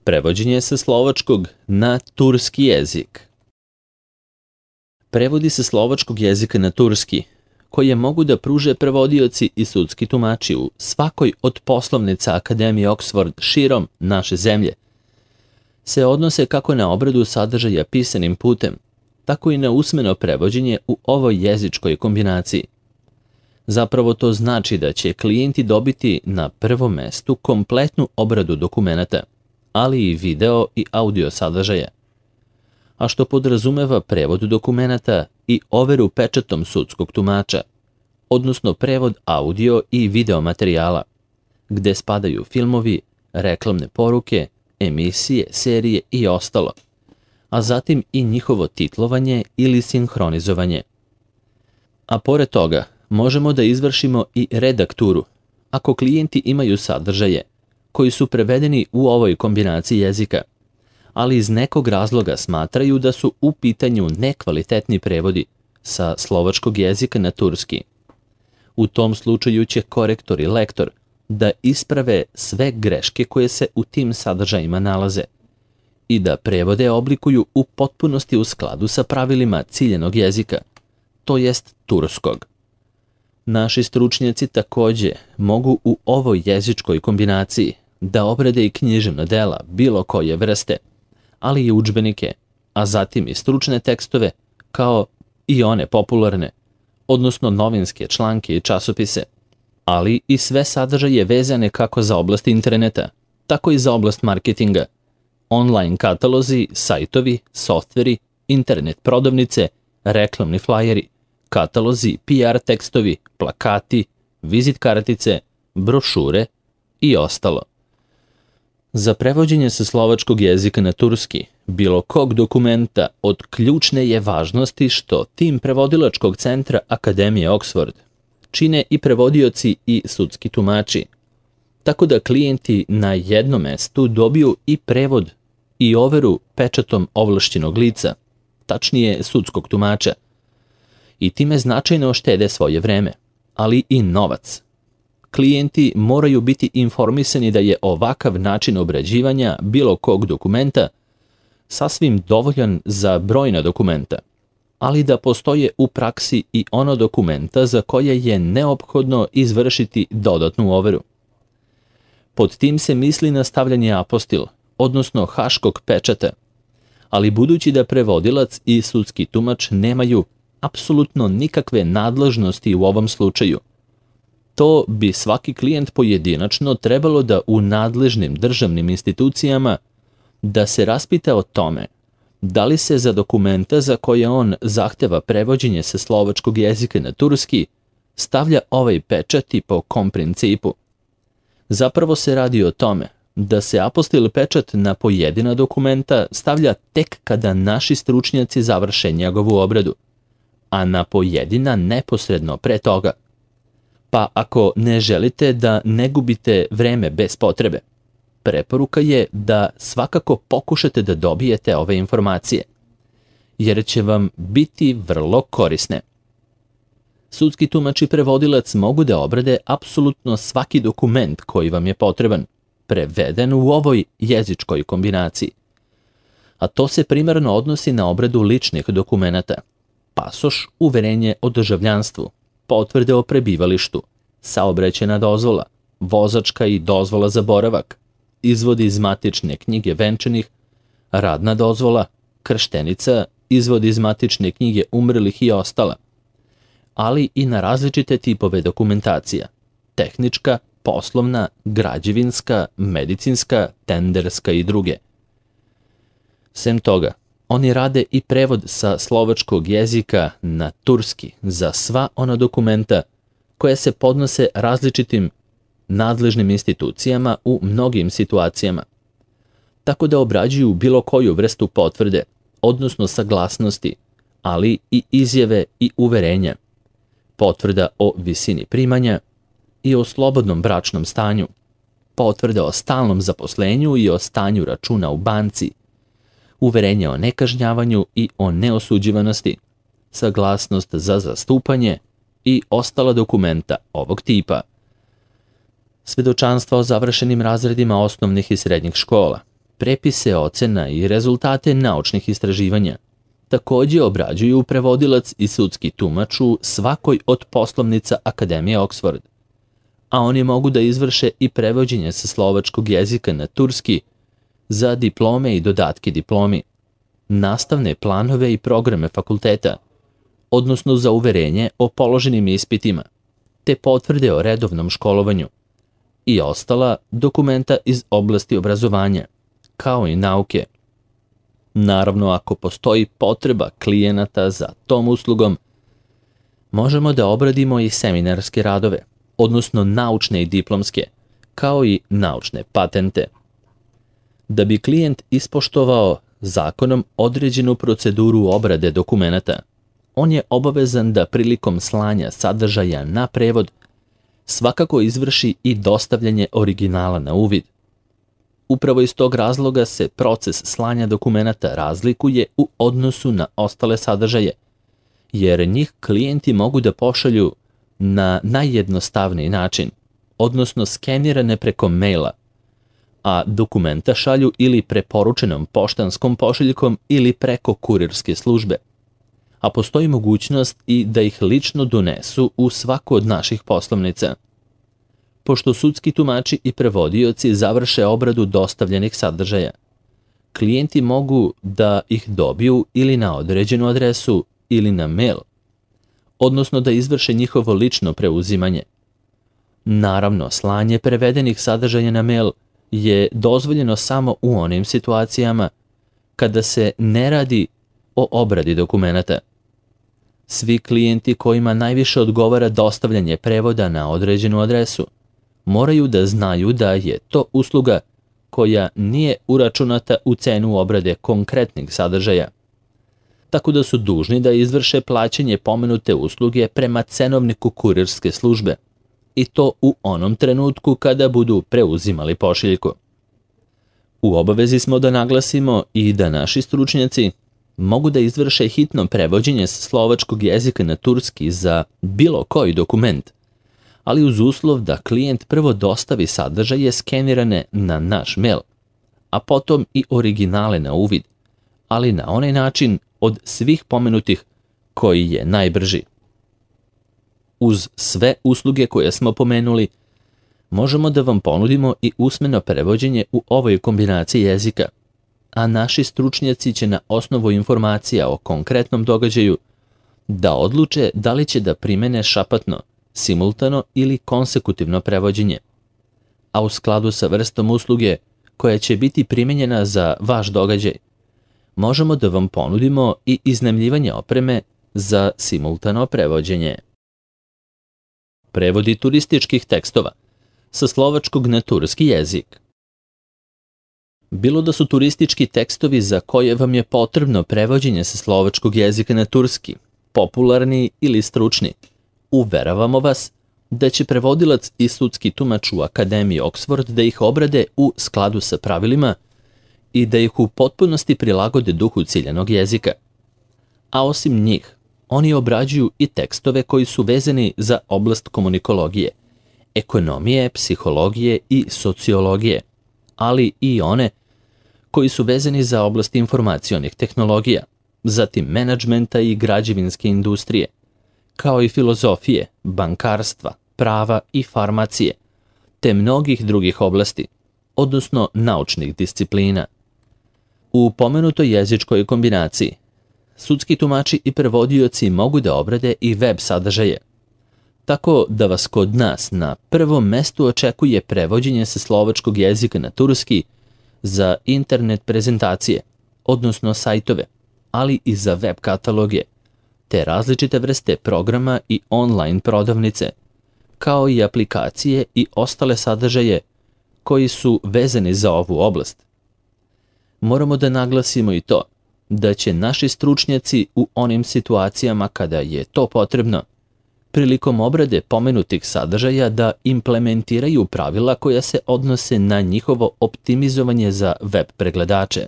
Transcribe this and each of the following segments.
Prevođenje sa slovačkog na turski jezik. Prevodi sa slovačkog jezika na turski, koje mogu da pruže prevodioci i sudski tumači u svakoj od poslovnica Akademije Oxford širom naše zemlje, se odnose kako na obradu sadržaja pisanim putem, tako i na usmeno prevođenje u ovoj jezičkoj kombinaciji. Zapravo to znači da će klijenti dobiti na prvom mestu kompletnu obradu dokumenata, ali i video i audio sadržaja, a što podrazumeva prevod dokumenata i overu pečatom sudskog tumača, odnosno prevod audio i video materijala, gde spadaju filmovi, reklamne poruke, emisije, serije i ostalo, a zatim i njihovo titlovanje ili sinhronizovanje. A pored toga, možemo da izvršimo i redakturu, ako klijenti imaju sadržaje koji su prevedeni u ovoj kombinaciji jezika, ali iz nekog razloga smatraju da su u pitanju nekvalitetni prevodi sa slovačkog jezika na turski. U tom slučaju će korektor i lektor da isprave sve greške koje se u tim sadržajima nalaze i da prevode oblikuju u potpunosti u skladu sa pravilima ciljenog jezika, to jest turskog. Naši stručnjaci takođe mogu u ovoj jezičkoj kombinaciji da obrade i književna dela bilo koje vrste, ali i udžbenike, a zatim i stručne tekstove, kao i one popularne, odnosno novinske članke i časopise, ali i sve sadržaje vezane kako za oblast interneta, tako i za oblast marketinga, online katalozi, sajtovi, softveri, internet prodavnice, reklamni flajeri, katalozi, PR tekstovi, plakati, vizit kartice, brošure i ostalo. Za prevođenje sa slovačkog jezika na turski bilo kog dokumenta od ključne je važnosti što tim prevodilačkog centra Akademije Oxford čine i prevodioci i sudski tumači, tako da klijenti na jednom mestu dobiju i prevod i overu pečatom ovlašćenog lica, tačnije sudskog tumača, i time značajno štede svoje vreme, ali i novac. Klijenti moraju biti informisani da je ovakav način obrađivanja bilo kog dokumenta sasvim dovoljan za brojna dokumenta, ali da postoje u praksi i ono dokumenta za koje je neophodno izvršiti dodatnu overu. Pod tim se misli na stavljanje apostil, odnosno haškog pečata, ali budući da prevodilac i sudski tumač nemaju apsolutno nikakve nadležnosti u ovom slučaju, to bi svaki klijent pojedinačno trebalo da u nadležnim državnim institucijama da se raspita o tome da li se za dokumenta za koje on zahteva prevođenje sa slovačkog jezika na turski stavlja ovaj pečat i po kom principu. Zapravo se radi o tome da se apostil pečat na pojedina dokumenta stavlja tek kada naši stručnjaci završe njegovu obradu, a na pojedina neposredno pre toga. Pa ako ne želite da ne gubite vreme bez potrebe, preporuka je da svakako pokušate da dobijete ove informacije, jer će vam biti vrlo korisne. Sudski tumač i prevodilac mogu da obrade apsolutno svaki dokument koji vam je potreban, preveden u ovoj jezičkoj kombinaciji. A to se primarno odnosi na obradu ličnih dokumenata, pasoš, uverenje o državljanstvu, potvrde o prebivalištu, saobraćajna dozvola, vozačka i dozvola za boravak, izvod iz matične knjige venčanih, radna dozvola, krštenica, izvod iz matične knjige umrlih i ostala, ali i na različite tipove dokumentacija, tehnička, poslovna, građevinska, medicinska, tenderska i druge. Sem toga, oni rade i prevod sa slovačkog jezika na turski za sva ona dokumenta koja se podnose različitim nadležnim institucijama u mnogim situacijama, tako da obrađuju bilo koju vrstu potvrde, odnosno saglasnosti, ali i izjave i uverenja, potvrda o visini primanja i o slobodnom bračnom stanju, potvrda o stalnom zaposlenju i o stanju računa u banci, uverenje o nekažnjavanju i o neosuđivanosti, saglasnost za zastupanje i ostala dokumenta ovog tipa. Svedočanstva o završenim razredima osnovnih i srednjih škola, prepise ocena i rezultate naučnih istraživanja. Takođe obrađuju prevodilac i sudski tumač u svakoj od poslovnica Akademije Oxford, a oni mogu da izvrše i prevođenje sa slovačkog jezika na turski za diplome i dodatke diplomi, nastavne planove i programe fakulteta, odnosno za uverenje o položenim ispitima, te potvrde o redovnom školovanju i ostala dokumenta iz oblasti obrazovanja, kao i nauke. Naravno, ako postoji potreba klijenata za tom uslugom, možemo da obradimo i seminarske radove, odnosno naučne i diplomske, kao i naučne patente. Da bi klijent ispoštovao zakonom određenu proceduru obrade dokumenata, on je obavezan da prilikom slanja sadržaja na prevod svakako izvrši i dostavljanje originala na uvid. Upravo iz tog razloga se proces slanja dokumenata razlikuje u odnosu na ostale sadržaje, jer njih klijenti mogu da pošalju na najjednostavniji način, odnosno skenirane preko maila, a dokumenta šalju ili preporučenom poštanskom pošiljkom ili preko kurirske službe. A postoji mogućnost i da ih lično donesu u svaku od naših poslovnica. Pošto sudski tumači i prevodioci završe obradu dostavljenih sadržaja, klijenti mogu da ih dobiju ili na određenu adresu ili na mail, odnosno da izvrše njihovo lično preuzimanje. Naravno, slanje prevedenih sadržaja na mail je dozvoljeno samo u onim situacijama kada se ne radi o obradi dokumenata. Svi klijenti kojima najviše odgovara dostavljanje prevoda na određenu adresu moraju da znaju da je to usluga koja nije uračunata u cenu obrade konkretnih sadržaja, tako da su dužni da izvrše plaćanje pomenute usluge prema cenovniku kurirske službe, i to u onom trenutku kada budu preuzimali pošiljku. U obavezi smo da naglasimo i da naši stručnjaci mogu da izvrše hitno prevođenje sa slovačkog jezika na turski za bilo koji dokument, ali uz uslov da klijent prvo dostavi sadržaje skenirane na naš mail, a potom i originale na uvid, ali na onaj način od svih pomenutih koji je najbrži. Uz sve usluge koje smo pomenuli, možemo da vam ponudimo i usmeno prevođenje u ovoj kombinaciji jezika, a naši stručnjaci će na osnovu informacija o konkretnom događaju da odluče da li će da primene šapatno, simultano ili konsekutivno prevođenje. A u skladu sa vrstom usluge koja će biti primenjena za vaš događaj, možemo da vam ponudimo i iznajmljivanje opreme za simultano prevođenje. Prevodi turističkih tekstova sa slovačkog na turski jezik. Bilo da su turistički tekstovi za koje vam je potrebno prevođenje sa slovačkog jezika na turski, popularni ili stručni, uveravamo vas da će prevodilac i sudski tumač u Akademiji Oxford da ih obrade u skladu sa pravilima i da ih u potpunosti prilagode duhu ciljanog jezika. A osim njih, oni obrađuju i tekstove koji su vezani za oblast komunikologije, ekonomije, psihologije i sociologije, ali i one koji su vezani za oblast informacionih tehnologija, zatim menadžmenta i građevinske industrije, kao i filozofije, bankarstva, prava i farmacije, te mnogih drugih oblasti, odnosno naučnih disciplina. U pomenutoj jezičkoj kombinaciji, sudski tumači i prevodioci mogu da obrade i web sadržaje, tako da vas kod nas na prvom mestu očekuje prevođenje sa slovačkog jezika na turski za internet prezentacije, odnosno sajtove, ali i za web kataloge, te različite vrste programa i online prodavnice, kao i aplikacije i ostale sadržaje koji su vezani za ovu oblast. Moramo da naglasimo i to da će naši stručnjaci u onim situacijama kada je to potrebno, prilikom obrade pomenutih sadržaja da implementiraju pravila koja se odnose na njihovo optimizovanje za web pregledače.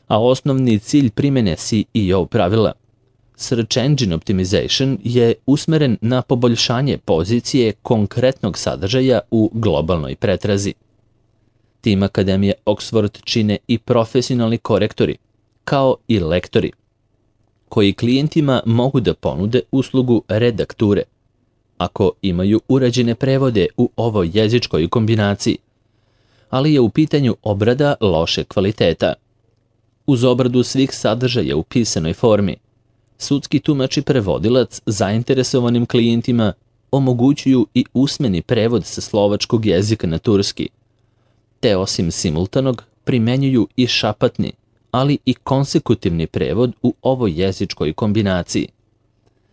A osnovni cilj primjene SEO pravila, Search Engine Optimization, je usmeren na poboljšanje pozicije konkretnog sadržaja u globalnoj pretrazi. Tim Akademije Oxford čine i profesionalni korektori, kao i lektori, koji klijentima mogu da ponude uslugu redakture, ako imaju urađene prevode u ovoj jezičkoj kombinaciji, ali je u pitanju obrada loše kvaliteta. Uz obradu svih sadržaja u pisanoj formi, sudski tumač i prevodilac zainteresovanim klijentima omogućuju i usmeni prevod sa slovačkog jezika na turski, te osim simultanog primenjuju i šapatni, ali i konsekutivni prevod u ovoj jezičkoj kombinaciji.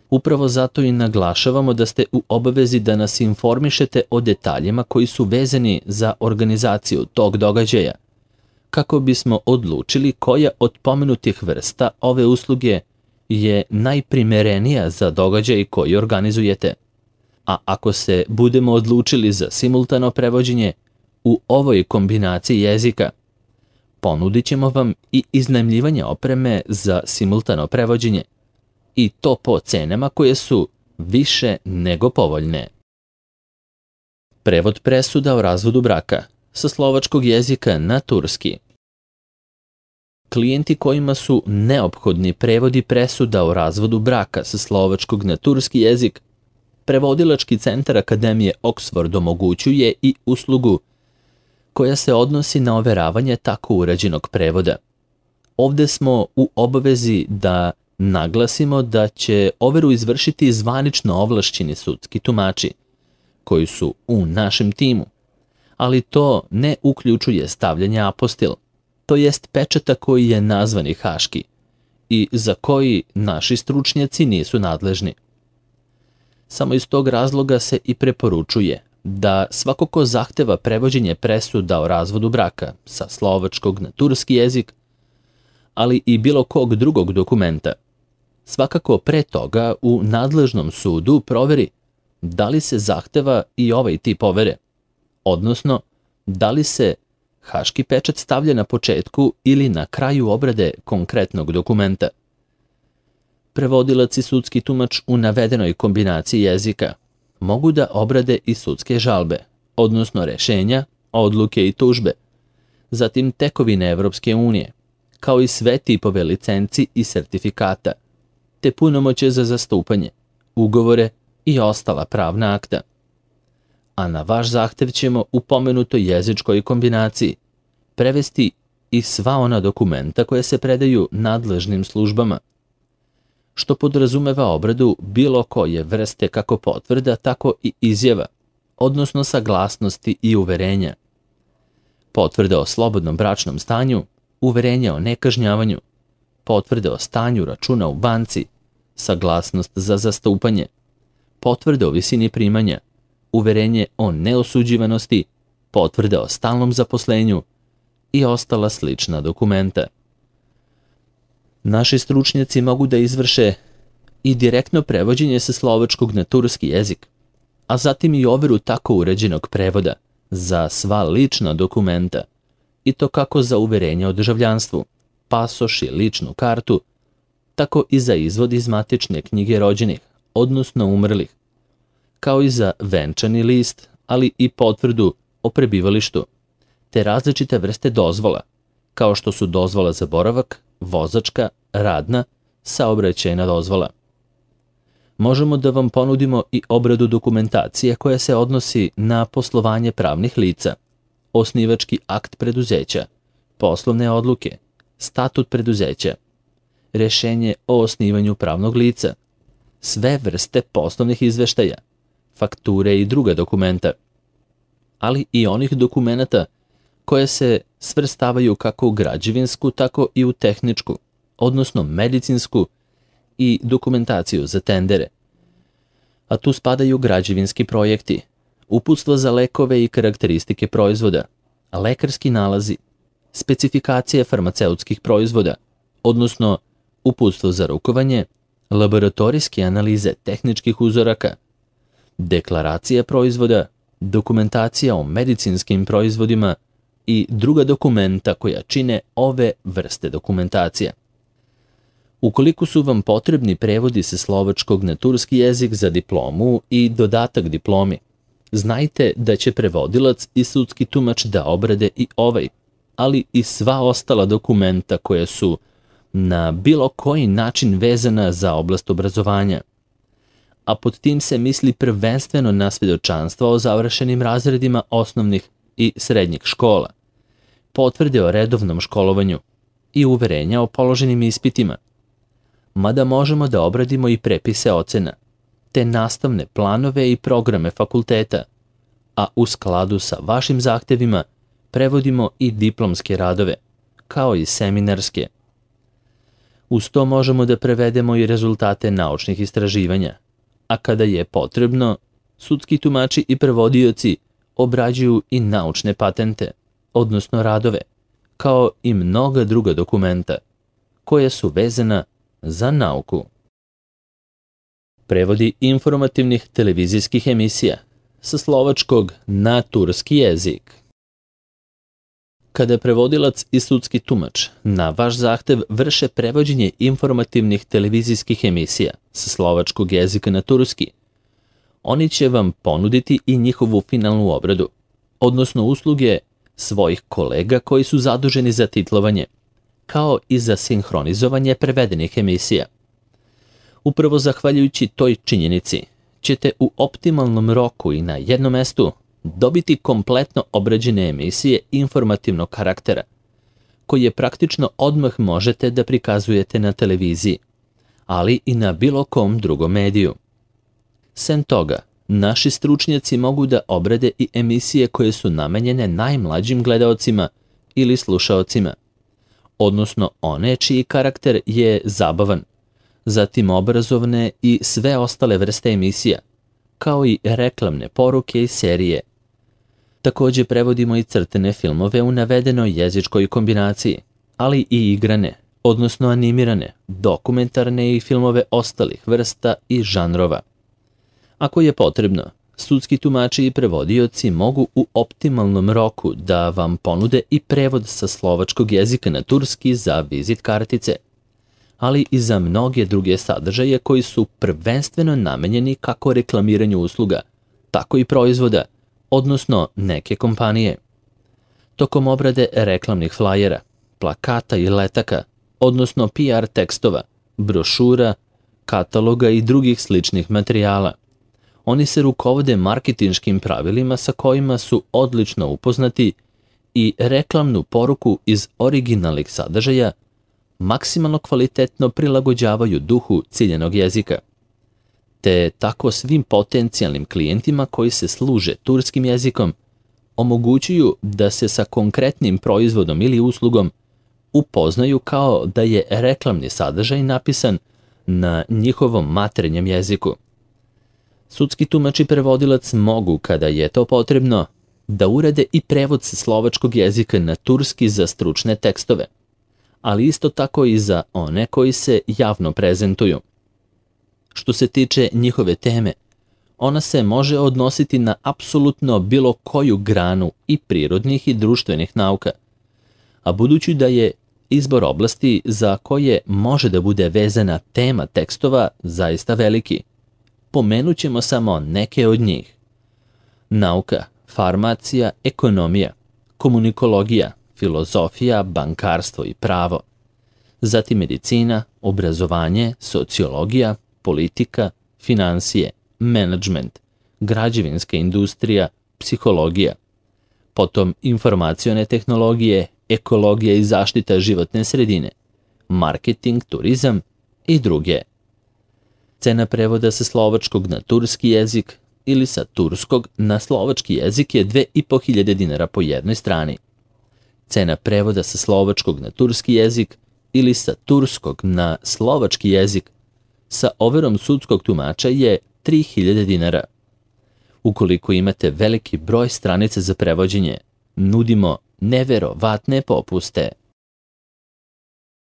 Upravo zato i naglašavamo da ste u obavezi da nas informišete o detaljima koji su vezani za organizaciju tog događaja, kako bismo odlučili koja od pomenutih vrsta ove usluge je najprimerenija za događaj koji organizujete. A ako se budemo odlučili za simultano prevođenje u ovoj kombinaciji jezika, ponudit ćemo vam i iznajmljivanje opreme za simultano prevođenje, i to po cenama koje su više nego povoljne. Prevod presuda o razvodu braka sa slovačkog jezika na turski. Klijenti kojima su neophodni prevodi presuda o razvodu braka sa slovačkog na turski jezik, prevodilački centar Akademije Oxford omogućuje i uslugu koja se odnosi na overavanje tako urađenog prevoda. Ovde smo u obavezi da naglasimo da će overu izvršiti zvanično ovlašćeni sudski tumači, koji su u našem timu, ali to ne uključuje stavljanje apostil, to jest pečata koji je nazvani haški i za koji naši stručnjaci nisu nadležni. Samo iz tog razloga se i preporučuje da svako ko zahteva prevođenje presuda o razvodu braka sa slovačkog na turski jezik, ali i bilo kog drugog dokumenta, svakako pre toga u nadležnom sudu proveri da li se zahteva i ovaj tip overe, odnosno da li se haški pečat stavlja na početku ili na kraju obrade konkretnog dokumenta. Prevodilac i sudski tumač u navedenoj kombinaciji jezika mogu da obrade i sudske žalbe, odnosno rešenja, odluke i tužbe, zatim tekovine Evropske unije, kao i sve tipove licenci i sertifikata, te punomoće za zastupanje, ugovore i ostala pravna akta. A na vaš zahtev ćemo u pomenutoj jezičkoj kombinaciji prevesti i sva ona dokumenta koje se predaju nadležnim službama, što podrazumeva obradu bilo koje vrste kako potvrda, tako i izjava, odnosno saglasnosti i uverenja. Potvrde o slobodnom bračnom stanju, uverenje o nekažnjavanju, potvrde o stanju računa u banci, saglasnost za zastupanje, potvrde o visini primanja, uverenje o neosuđivanosti, potvrde o stalnom zaposlenju i ostala slična dokumenta. Naši stručnjaci mogu da izvrše i direktno prevođenje sa slovačkog na turski jezik, a zatim i overu tako uređenog prevoda za sva lična dokumenta, i to kako za uverenje o državljanstvu, pasoš i ličnu kartu, tako i za izvod iz matične knjige rođenih, odnosno umrlih, kao i za venčani list, ali i potvrdu o prebivalištu, te različite vrste dozvola, kao što su dozvola za boravak, vozačka, radna, saobraćajna dozvola. Možemo da vam ponudimo i obradu dokumentacije koja se odnosi na poslovanje pravnih lica, osnivački akt preduzeća, poslovne odluke, statut preduzeća, rešenje o osnivanju pravnog lica, sve vrste poslovnih izveštaja, fakture i druga dokumenta, ali i onih dokumenata koje se svrstavaju kako u građevinsku, tako i u tehničku, odnosno medicinsku i dokumentaciju za tendere. A tu spadaju građevinski projekti, uputstvo za lekove i karakteristike proizvoda, lekarski nalazi, specifikacije farmaceutskih proizvoda, odnosno uputstvo za rukovanje, laboratorijske analize tehničkih uzoraka, deklaracija proizvoda, dokumentacija o medicinskim proizvodima i druga dokumenta koja čine ove vrste dokumentacija. Ukoliko su vam potrebni prevodi sa slovačkog na turski jezik za diplomu i dodatak diplomi, znajte da će prevodilac i sudski tumač da obrade i ovaj, ali i sva ostala dokumenta koja su na bilo koji način vezana za oblast obrazovanja. A pod tim se misli prvenstveno na svedočanstva o završenim razredima osnovnih i srednjih škola, potvrde o redovnom školovanju i uverenja o položenim ispitima, mada možemo da obradimo i prepise ocena, te nastavne planove i programe fakulteta, a u skladu sa vašim zahtevima prevodimo i diplomske radove, kao i seminarske. Uz to možemo da prevedemo i rezultate naučnih istraživanja, a kada je potrebno, sudski tumači i prevodioci obrađuju i naučne patente, odnosno radove, kao i mnoga druga dokumenta, koja su vezana za nauku. Prevodi informativnih televizijskih emisija sa slovačkog na turski jezik. Kada prevodilac i sudski tumač na vaš zahtev vrše prevođenje informativnih televizijskih emisija sa slovačkog jezika na turski, oni će vam ponuditi i njihovu finalnu obradu, odnosno usluge svojih kolega koji su zaduženi za titlovanje, kao i za sinhronizovanje prevedenih emisija. Upravo zahvaljujući toj činjenici ćete u optimalnom roku i na jednom mestu dobiti kompletno obrađene emisije informativnog karaktera, koje praktično odmah možete da prikazujete na televiziji, ali i na bilo kom drugom mediju. Sem toga, naši stručnjaci mogu da obrade i emisije koje su namenjene najmlađim gledaocima ili slušaocima, odnosno one čiji karakter je zabavan, zatim obrazovne i sve ostale vrste emisija, kao i reklamne poruke i serije. Takođe prevodimo i crtene filmove u navedenoj jezičkoj kombinaciji, ali i igrane, odnosno animirane, dokumentarne i filmove ostalih vrsta i žanrova. Ako je potrebno, sudski tumači i prevodioci mogu u optimalnom roku da vam ponude i prevod sa slovačkog jezika na turski za vizit kartice, ali i za mnoge druge sadržaje koji su prvenstveno namenjeni kako reklamiranju usluga, tako i proizvoda, odnosno neke kompanije. Tokom obrade reklamnih flajera, plakata i letaka, odnosno PR tekstova, brošura, kataloga i drugih sličnih materijala, oni se rukovode marketinškim pravilima sa kojima su odlično upoznati i reklamnu poruku iz originalnih sadržaja maksimalno kvalitetno prilagođavaju duhu ciljanog jezika, te tako svim potencijalnim klijentima koji se služe turskim jezikom omogućuju da se sa konkretnim proizvodom ili uslugom upoznaju kao da je reklamni sadržaj napisan na njihovom maternjem jeziku. Sudski tumač i prevodilac mogu, kada je to potrebno, da urade i prevod sa slovačkog jezika na turski za stručne tekstove, ali isto tako i za one koji se javno prezentuju. Što se tiče njihove teme, ona se može odnositi na apsolutno bilo koju granu i prirodnih i društvenih nauka, a budući da je izbor oblasti za koje može da bude vezana tema tekstova zaista veliki, pomenut ćemo samo neke od njih. Nauka, farmacija, ekonomija, komunikologija, filozofija, bankarstvo i pravo, zatim medicina, obrazovanje, sociologija, politika, finansije, menadžment, građevinska industrija, psihologija, potom informacione tehnologije, ekologija i zaštita životne sredine, marketing, turizam i druge. Cena prevoda sa slovačkog na turski jezik ili sa turskog na slovački jezik je 2500 dinara po jednoj strani. Cena prevoda sa slovačkog na turski jezik ili sa turskog na slovački jezik sa overom sudskog tumača je 3000 dinara. Ukoliko imate veliki broj stranica za prevođenje, nudimo neverovatne popuste.